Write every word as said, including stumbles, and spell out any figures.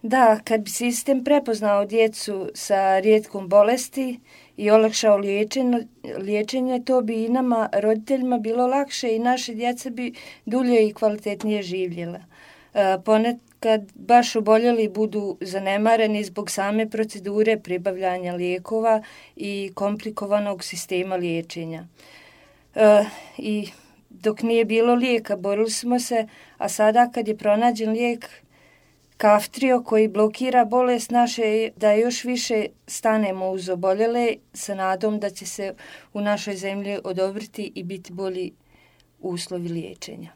Da, kad bi sistem prepoznao djecu sa rijetkom bolesti i olakšao liječenje, liječenje, to bi i nama, roditeljima, bilo lakše i naše djeca bi dulje i kvalitetnije živjela. Ponekad baš oboljeli budu zanemareni zbog same procedure pribavljanja lijekova i komplikovanog sistema liječenja. I dok nije bilo lijeka, borili smo se, a sada kad je pronađen lijek Kaftrio koji blokira bolest naše, da još više stanemo uz oboljele sa nadom da će se u našoj zemlji odobriti i biti bolji uslovi liječenja.